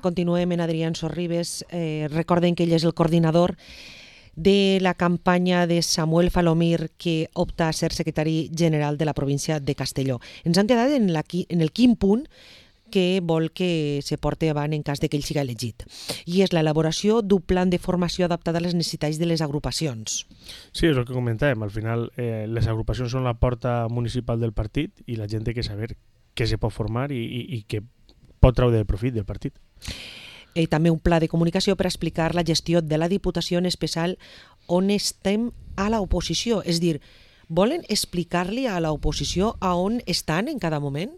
continuem en Adrián Sorribes. Recorden que ell és el coordinador de la campanya de Samuel Falomir, que opta a ser secretari general de la província de Castelló. Ens hem quedat en el quin punt que vol que se porti avant en cas de que ell siga elegit. I és l'elaboració d'un plan de formació adaptat a les necessitats de les agrupacions. Sí, és el que comentàvem. Al final, les agrupacions són la porta municipal del partit i la gent té que saber què se pot formar i què pot treure de profit del partit. També un pla de comunicació per explicar la gestió de la Diputació, en especial on estem a l'oposició. És dir, volen explicar-li a l'oposició a on estan en cada moment?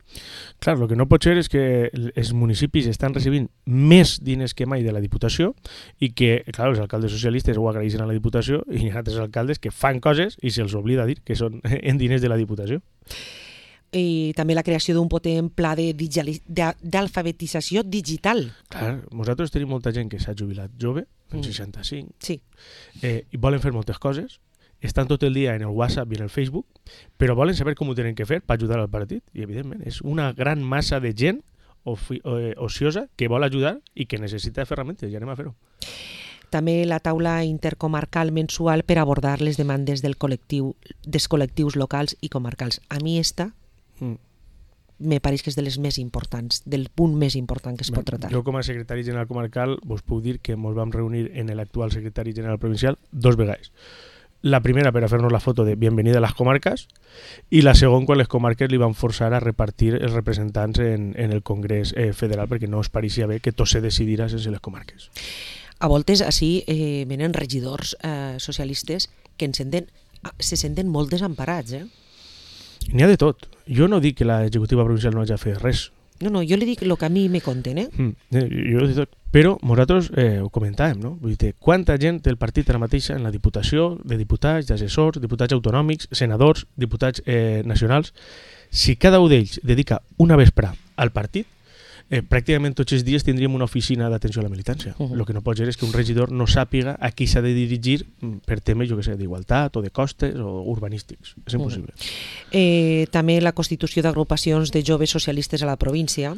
Clar, el que no pot ser és que els municipis estan recibint més diners que mai de la Diputació i que, clar, els alcaldes socialistes ho agraeixen a la Diputació i hi ha altres alcaldes que fan coses i se'ls oblida dir que són en diners de la Diputació. I també la creació d'un potent pla d'alfabetització digital. Clar, nosaltres tenim molta gent que s'ha jubilat jove, en 65, sí. I volen fer moltes coses, estan tot el dia en el WhatsApp i en el Facebook, però volen saber com ho tenen que fer per ajudar al partit. I, evidentment, és una gran massa de gent ociosa que vol ajudar i que necessita ferramentes, i anem a fer-ho. També la taula intercomarcal mensual per abordar les demandes dels col·lectius locals i comarcals. A mi me pareix que és de les més importants, del punt més important que es pot tratar. Jo, com a secretari general comarcal, vos puc dir que ens vam reunir en l'actual secretari general provincial 2 vegades. La primera per a fer-nos la foto de bienvenida a les comarques i la segona quan les comarques li van forçar a repartir els representants en el Congrés Federal perquè no es pareixia bé que tot se decidirà sense les comarques. A voltes així venen regidors socialistes que se senten molt desemparats. N'hi ha de tot. Jo no dic que l'executiva provincial no hagi de fer res. No, jo li dic el que a mi me conten. Jo de tot. Però nosaltres ho comentàvem, no? Vull dir, quanta gent té el partit ara mateixa en la Diputació, de diputats, d'assessors, diputats autonòmics, senadors, diputats nacionals. Si cada un d'ells dedica una vespre al partit, pràcticament tots els dies tindríem una oficina d'atenció a la militància. El que no pot ser és que un regidor no sàpiga a qui s'ha de dirigir per temes, jo què sé, d'igualtat o de costes o urbanístics. És impossible. També la constitució d'agrupacions de joves socialistes a la província.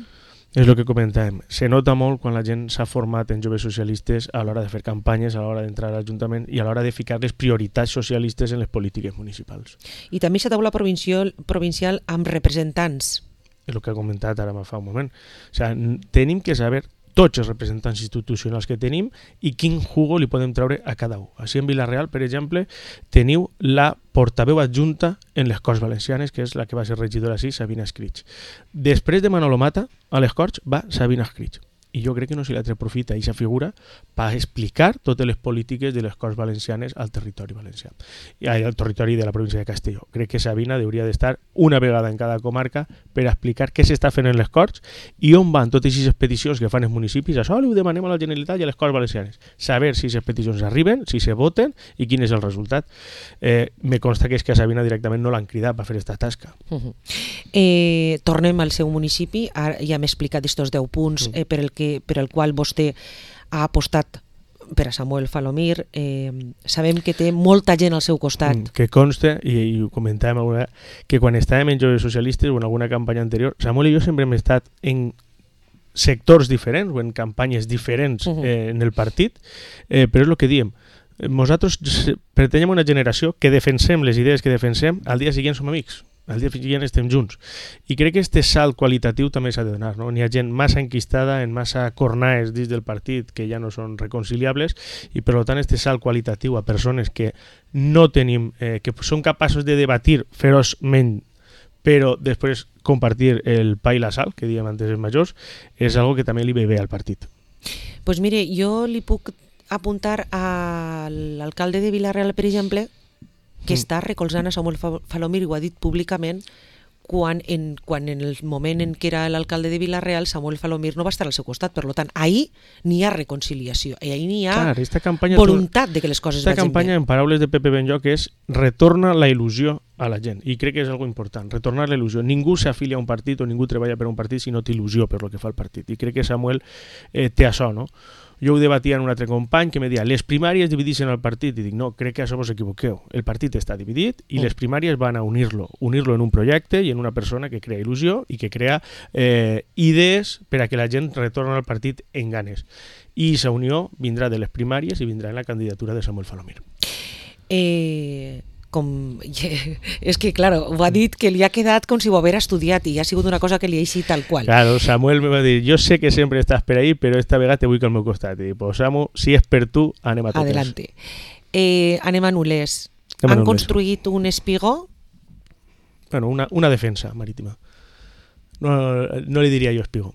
És el que comentàvem. Se nota molt quan la gent s'ha format en joves socialistes a l'hora de fer campanyes, a l'hora d'entrar a l'Ajuntament i a l'hora de ficar les prioritats socialistes en les polítiques municipals. I també la taula provincial amb representants. És el que ha comentat ara fa un moment. O sigui, tenim que saber tots els representants institucionals que tenim i quin jugo li podem treure a cada un. Així en Vila-real, per exemple, teniu la portaveu adjunta en les Corts Valencianes, que és la que va ser regidora així, Sabina Escrig. Després de Manolo Mata, a les Corts va Sabina Escrig. I jo crec que no se li aprofita aquesta figura per explicar totes les polítiques de les Corts Valencianes al territori valencià, al territori de la província de Castelló. Crec que Sabina hauria d'estar una vegada en cada comarca per explicar què s'està fent en les Corts i on van totes aquestes peticions que fan els municipis. Això ho demanem a la Generalitat i a les Corts Valencianes. Saber si aquestes peticions arriben, si se voten i quin és el resultat. Me consta que és que a Sabina directament no l'han cridat per fer aquesta tasca. Tornem al seu municipi. Ara ja hem explicat aquests 10 punts per el qual vostè ha apostat per a Samuel Falomir. Sabem que té molta gent al seu costat. Que consta, i ho comentàvem alguna vegada, que quan estàvem en Joves Socialistes o en alguna campanya anterior, Samuel i jo sempre hem estat en sectors diferents o en campanyes diferents en el partit, però és el que diem. Nosaltres pertanyem a una generació que defensem les idees que defensem, al dia següent som amics. Al dia següent estem junts. I crec que este salt qualitatiu també s'ha de donar. N'hi ha gent massa enquistada, en massa cornaes dins del partit que ja no són reconciliables i per tant este salt qualitatiu a persones que no tenim, que són capaços de debatir feroçment però després compartir el pa i la sal, que dèiem antes els majors, és algo que també li ve bé al partit. Pues mire, jo li puc apuntar a l'alcalde de Vila-real, per exemple, que està recolzant a Samuel Falomir, i ho ha dit públicament, quan en el moment en què era l'alcalde de Vila-real, Samuel Falomir no va estar al seu costat. Per tant, ahir n'hi ha reconciliació, i ahir n'hi ha voluntat de que les coses vagin bé. Aquesta campanya, en paraules de Pepe Benlloc, és retorna la il·lusió a la gent, i crec que és algo important, retornar la il·lusió. Ningú s'afilia a un partit o ningú treballa per un partit si no té il·lusió per el que fa el partit, i crec que Samuel té això, no? Jo ho debatia amb un altre company que me deia les primàries divideixen el partit, i dic no, crec que això vos equivoqueu, el partit està dividit i les primàries van a unir-lo en un projecte i en una persona que crea il·lusió i que crea idees per a que la gent retorni al partit en ganes. I aquesta unió vindrà de les primàries i vindrà en la candidatura de Samuel Falomir. És que, claro, ho ha dit que li ha quedat com si ho haguera estudiat i ha sigut una cosa que li ha eixit tal qual. Claro, Samuel me va dir, jo sé que sempre estàs per ahí, però esta vegada te vull al meu costat. I dic, pues Samu, si és per tu, anem a totes. Adelante. Anem a Nules. Han construït un espigó? Bueno, una defensa marítima. No li diria jo espigó.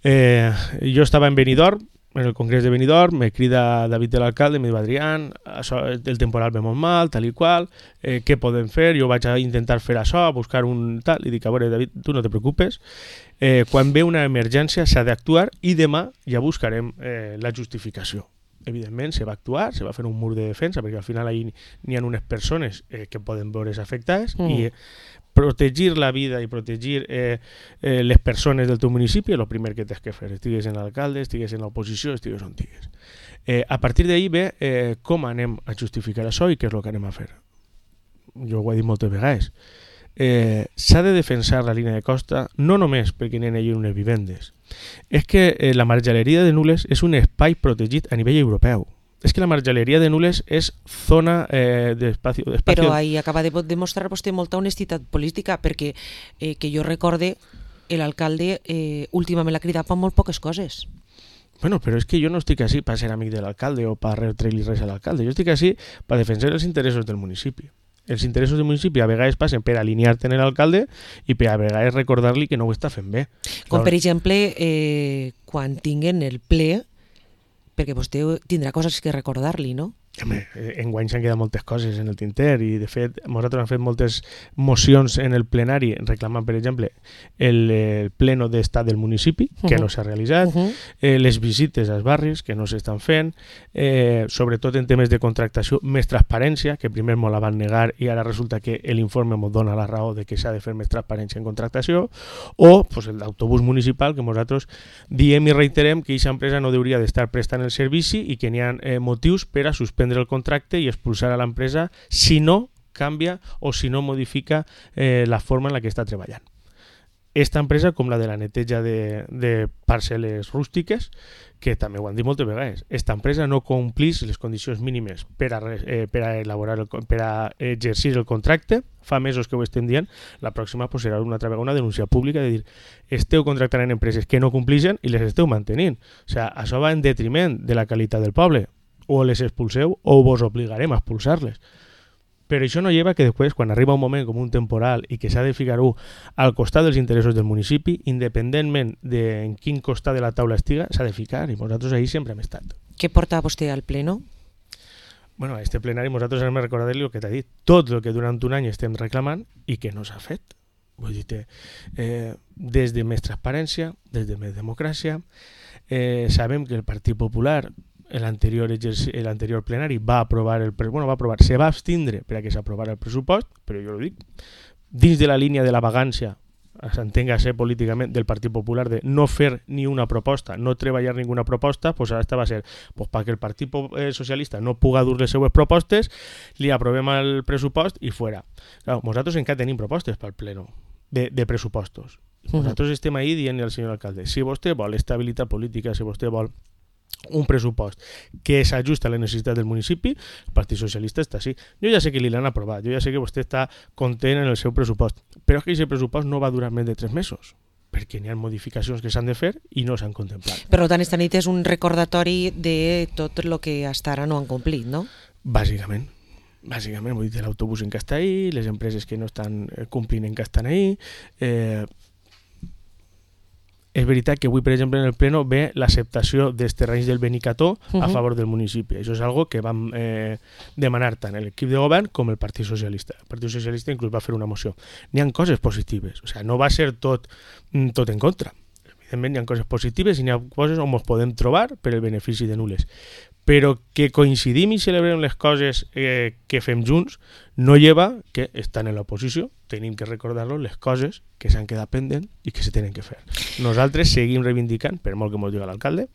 Jo estava en Benidorm, en el congrés de Benidorm, me crida David de l'alcalde, me diu Adrián, el temporal ve molt mal, tal i qual, què podem fer? Jo vaig a intentar fer això, buscar un tal, i dic, a veure, David, tu no te preocupes, quan ve una emergència s'ha d'actuar i demà ja buscarem la justificació. Evidentment, se va actuar, se va fer un mur de defensa, perquè al final ahí n'hi ha unes persones que poden veure's afectades i protegir la vida i protegir les persones del teu municipi és el primer que tens que fer, estigues en l'alcalde, estigues en l'oposició, estigues on estigues. A partir d'ahí ve com anem a justificar això i què és el que anem a fer. Jo ho he dit moltes vegades. S'ha de defensar la línia de costa no només perquè n'hi ha unes vivendes, és que la marjaleria de Nules és un espai protegit a nivell europeu. És que la marjaleria de Nules és zona d'espacio... Però ahí acaba de demostrar vostè molta honestitat política, perquè que jo recorde l'alcalde últimament l'ha cridat per molt poques coses. Bueno, però és que jo no estic així per ser amic de l'alcalde o per retre-li res a l'alcalde. Jo estic així per defensar els interessos del municipi. Els interessos del municipi a vegades passen per alinear-te en l'alcalde i per a vegades recordar-li que no ho està fent bé. Com per exemple, quan tinguen el ple, perquè vostè tindrà coses que recordar-li, no? Home, enguany s'han quedat moltes coses en el tinter i de fet nosaltres hem fet moltes mocions en el plenari reclamant per exemple el pleno d'estat del municipi que no s'ha realitzat, les visites als barris que no s'estan fent, sobretot en temes de contractació, més transparència, que primer m'ho la van negar i ara resulta que l'informe m'ho dona la raó de que s'ha de fer més transparència en contractació, o pues, el d'autobús municipal que nosaltres diem i reiterem que aquesta empresa no hauria d'estar prestant el servici i que n'hi ha motius per a suspendre el contracte i expulsar a l'empresa si no canvia o si no modifica la forma en la que està treballant. Esta empresa, com la de la neteja de parcel·les rústiques, que també ho han dit moltes vegades, esta empresa no complís les condicions mínimes per a exercir el contracte, fa mesos que ho estem dient, la pròxima pues, serà una altra vegada una denúncia pública de dir esteu contractant en empreses que no complixen i les esteu mantenint. O sigui, això va en detriment de la qualitat del poble. O les expulseu o vos obligarem a expulsar-les. Però això no lleva que després, quan arriba un moment com un temporal i que s'ha de ficar-ho al costat dels interessos del municipi, independentment de en quin costat de la taula estiga, s'ha de ficar, i nosaltres ahí sempre hem estat. Què porta vostè al pleno? Bueno, a este plenari nosaltres hem de recordar-li el que t'ha dit, tot el que durant un any estem reclamant i que no s'ha fet. Vull dir, des de més transparència, des de més democràcia, sabem que el Partit Popular l'anterior plenari va aprovar se va abstindre per a que s'aprovara el pressupost, però jo ho dic, dins de la línia de la vagància, s'entenga-se políticament del Partit Popular de no fer ni una proposta, no treballar ninguna proposta, pues ara va ser pues, perquè el Partit Socialista no puga dur les seues propostes, li aprovem el pressupost i fora. Clar, nosaltres encara tenim propostes pel pleno de pressupostos. Nosaltres estem ahí dient al senyor alcalde, si vostè vol estabilitat política, si vostè vol un pressupost que s'ajusta a la necessitat del municipi, el Partit Socialista està així. Jo ja sé que li l'han aprovat, jo ja sé que vostè està content en el seu pressupost, però és que aquest pressupost no va durar més de 3 mesos, perquè n'hi ha modificacions que s'han de fer i no s'han contemplat. Per tant, esta nit és un recordatori de tot el que hasta ara no han complit, no? Bàsicament, vull dir, l'autobús en què està ahí, les empreses que no estan complint en què estan ahí, és veritat que avui, per exemple, en el pleno ve l'acceptació dels terrenys del Benicató a favor del municipi. Això és algo que vam demanar tant l'equip de govern com el Partit Socialista. El Partit Socialista inclús va fer una moció. N'hi ha coses positives, o sigui, no va ser tot en contra. Evidentment, hi ha coses positives i n'hi ha coses on ens podem trobar per el benefici de Nules. però que coincidim i celebrem les coses que fem junts no lleva que, estan en l'oposició, tenim que recordar-los les coses que s'han quedat pendents i que se tenen que fer. Nosaltres seguim reivindicant, per molt que ens diga l'alcalde,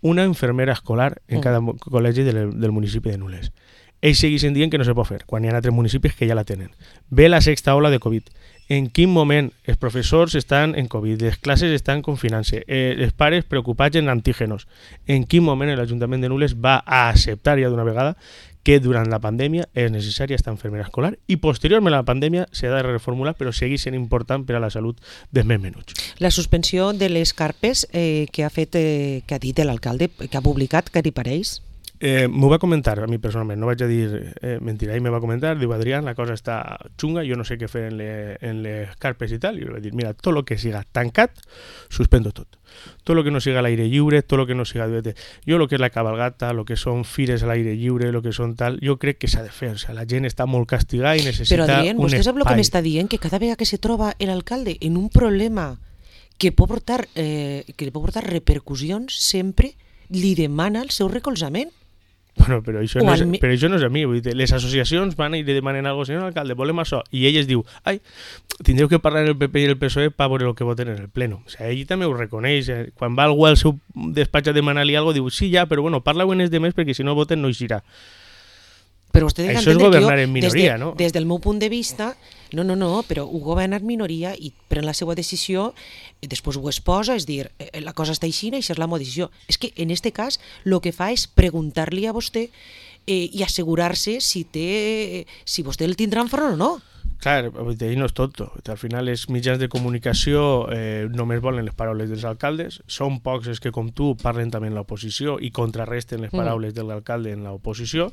una infermera escolar en cada col·legi del municipi de Nules. Ells segueixen dient que no se pot fer, quan hi ha altres municipis que ja la tenen. Ve la sexta ola de Covid. En quin moment els professors estan en Covid, les classes estan confinant-se, els pares preocupats en antígenos. En quin moment l'Ajuntament de Nules va a acceptar ja d'una vegada que durant la pandèmia és necessària esta infermera escolar i posteriorment a la pandèmia s'ha de reformular, però segueix sent important per a la salut dels més menuts. La suspensió de les carpes que ha dit l'alcalde, que ha publicat, què li pareix? M'ho va comentar a mi personalment, no vaig a dir mentira, ell me va comentar, diu Adrián, la cosa està xunga, jo no sé què fer en les carpes i tal, i jo vaig dir, mira, tot el que siga tancat, suspendo tot. Tot el que no siga a l'aire lliure, tot el que no siga... Jo el que és la cabalgata, el que són fires a l'aire lliure, el que són tal, jo crec que s'ha de fer, o sea, la gent està molt castigada i necessita un espai. Però Adrián, vostè sap el que m'està dient? Que cada vegada que se troba l'alcalde en un problema que pot portar repercussions, sempre li demana el seu recolzament. Bueno, però això no és a mi, vull dir, les associacions van i li demanen alguna cosa, senyor alcalde, volem això, i ell es diu, ai, tindreu que parlar el PP i el PSOE per veure el que voten en el pleno. O sigui, ell també ho reconeix, quan va algú al seu despatx a demanar-li alguna cosa, diu, sí, ja, però bueno, parla-ho en els demés perquè si no voten no eixirà. Però vostè ha això és governar en minoria, no? Des del meu punt de vista, no, però ho governa en minoria i pren la seva decisió, després ho exposa, és dir, la cosa està així, això és la meva decisió. És que en aquest cas el que fa és preguntar-li a vostè i assegurar-se si vostè el tindrà enfront o no. Clar, ell no és tonto. Al final els mitjans de comunicació només volen les paraules dels alcaldes. Són pocs els que, com tu, parlen també en l'oposició i contrarresten les paraules de l'alcalde en l'oposició,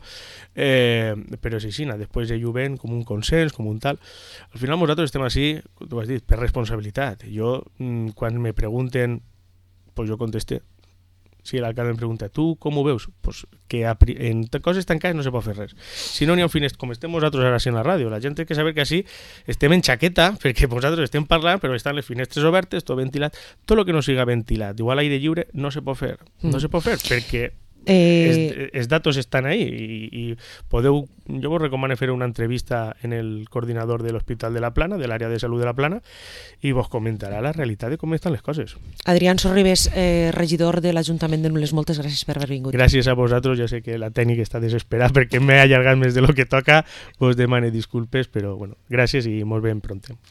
però és així, després ell ho ven com un consens, com un tal. Al final nosaltres estem així, tu has dit, per responsabilitat. Jo, quan me pregunten, pues jo contesté. Si l'alcalde em pregunta, tu com ho veus? Pues que en coses tancades no se pot fer res. Si no n'hi ha un finestre, com estem nosaltres ara en la ràdio, la gent té que saber que així estem en xaqueta, perquè nosaltres estem parlant, però estan les finestres obertes, tot ventilat, tot el que no siga ventilat, igual l'aire lliure, no se pot fer. No se pot fer, perquè els datos estan ahí i podeu, jo vos recomano fer una entrevista en el coordinador de l'Hospital de la Plana, de l'àrea de salut de la Plana, i vos comentarà la realitat de com estan les coses. Adrián Sorribes, regidor de l'Ajuntament de Nules, moltes gràcies per haver vingut. Gràcies a vosaltres, ja sé que la tècnica està desesperada perquè m'he allargat més de lo que toca, vos demane disculpes, però bueno, gràcies i molt ben pronte.